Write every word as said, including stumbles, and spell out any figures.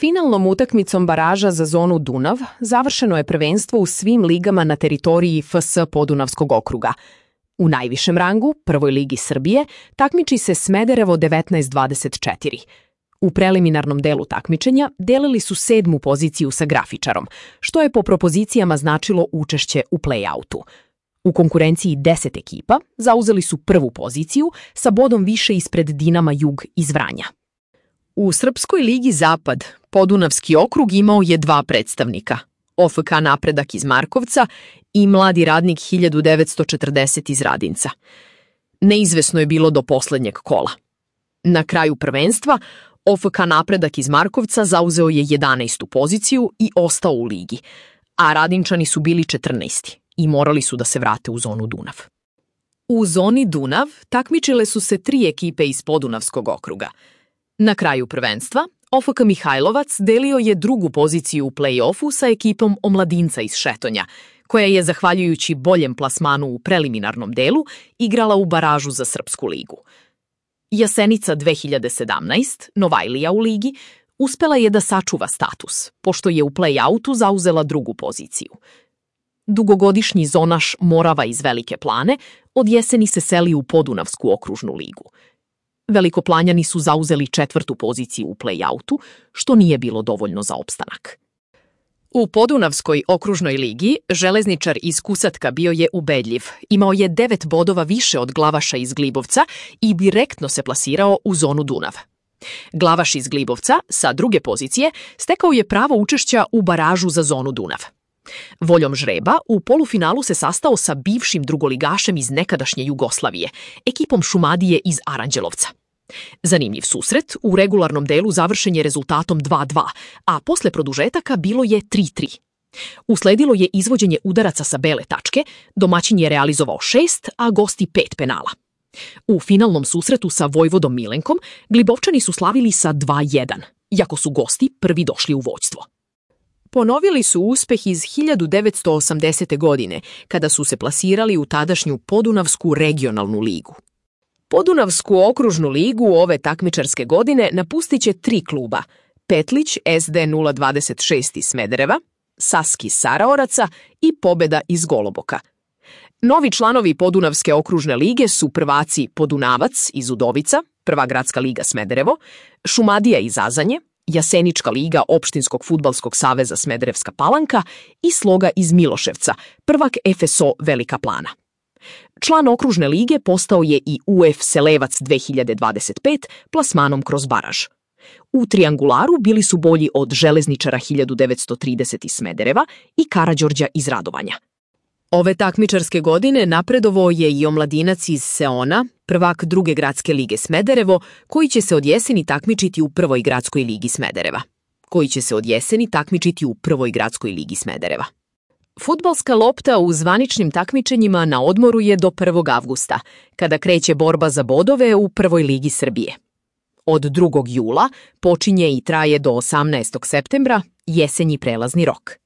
Finalnom utakmicom baraža za zonu Dunav završeno je prvenstvo u svim ligama na teritoriji F S Podunavskog okruga. U najvišem rangu, Prvoj ligi Srbije, takmiči se Smederevo devetnaest dvadeset četiri. U preliminarnom delu takmičenja delili su sedmu poziciju sa Grafičarom, što je po propozicijama značilo učešće u play-outu. U konkurenciji deset ekipa zauzeli su prvu poziciju sa bodom više ispred Dinama Jug iz Vranja. U Srpskoj ligi Zapad Podunavski okrug imao je dva predstavnika, O F K Napredak iz Markovca i Mladi radnik hiljadu devetsto četrdeset iz Radinca. Neizvesno je bilo do poslednjeg kola. Na kraju prvenstva O F K Napredak iz Markovca zauzeo je jedanaestu poziciju i ostao u ligi, a Radinčani su bili četrnaesti i morali su da se vrate u zonu Dunav. U zoni Dunav takmičile su se tri ekipe iz Podunavskog okruga. Na kraju prvenstva O F K Mihajlovac delio je drugu poziciju u play-offu sa ekipom Omladinca iz Šetonja, koja je, zahvaljujući boljem plasmanu u preliminarnom delu, igrala u baražu za Srpsku ligu. Jasenica dve hiljade sedamnaest, Novajlija u ligi, uspela je da sačuva status, pošto je u play-outu zauzela drugu poziciju. Dugogodišnji zonaš Morava iz Velike Plane od jeseni se seli u Podunavsku okružnu ligu. Velikoplanjani su zauzeli četvrtu poziciju u play-outu, što nije bilo dovoljno za opstanak. U Podunavskoj okružnoj ligi železničar iz Kusatka bio je ubedljiv, imao je devet bodova više od Glavaša iz Glibovca i direktno se plasirao u zonu Dunav. Glavaš iz Glibovca, sa druge pozicije, stekao je pravo učešća u baražu za zonu Dunav. Voljom žreba u polufinalu se sastao sa bivšim drugoligašem iz nekadašnje Jugoslavije, ekipom Šumadije iz Aranđelovca. Zanimljiv susret u regularnom delu završen je rezultatom dva dva, a posle produžetaka bilo je tri tri. Usledilo je izvođenje udaraca sa bele tačke, domaćin je realizovao šest, a gosti pet penala. U finalnom susretu sa Vojvodom Milenkom Glibovčani su slavili sa dva jedan, iako su gosti prvi došli u vođstvo. Ponovili su uspeh iz hiljadu devetsto osamdesete. godine, kada su se plasirali u tadašnju Podunavsku regionalnu ligu. Podunavsku okružnu ligu ove takmičarske godine napustit će tri kluba: Petlić S D nula dvadeset šest iz Smedereva, Saski Saraoraca i Pobeda iz Goloboka. Novi članovi Podunavske okružne lige su prvaci Podunavac iz Udovica, Prva gradska liga Smederevo, Šumadija iz Azanje, Jasenička liga Opštinskog fudbalskog saveza Smederevska Palanka i Sloga iz Miloševca, prvak F S O Velika Plana. Član okružne lige postao je i U F Selevac dve hiljade dvadeset pet plasmanom kroz baraž. U triangularu bili su bolji od Železničara hiljadu devetsto trideset iz Smedereva i Karađorđa iz Radovanja. Ove takmičarske godine napredovao je i Omladinac iz Seona, prvak druge gradske lige Smederevo, koji će se od jeseni takmičiti u Prvoj gradskoj ligi Smedereva. Koji će se od jeseni takmičiti u Prvoj gradskoj ligi Smedereva. Fudbalska lopta u zvaničnim takmičenjima na odmoru je do prvog avgusta, kada kreće borba za bodove u Prvoj ligi Srbije. Od drugog jula počinje i traje do osamnaestog septembra jesenji prelazni rok.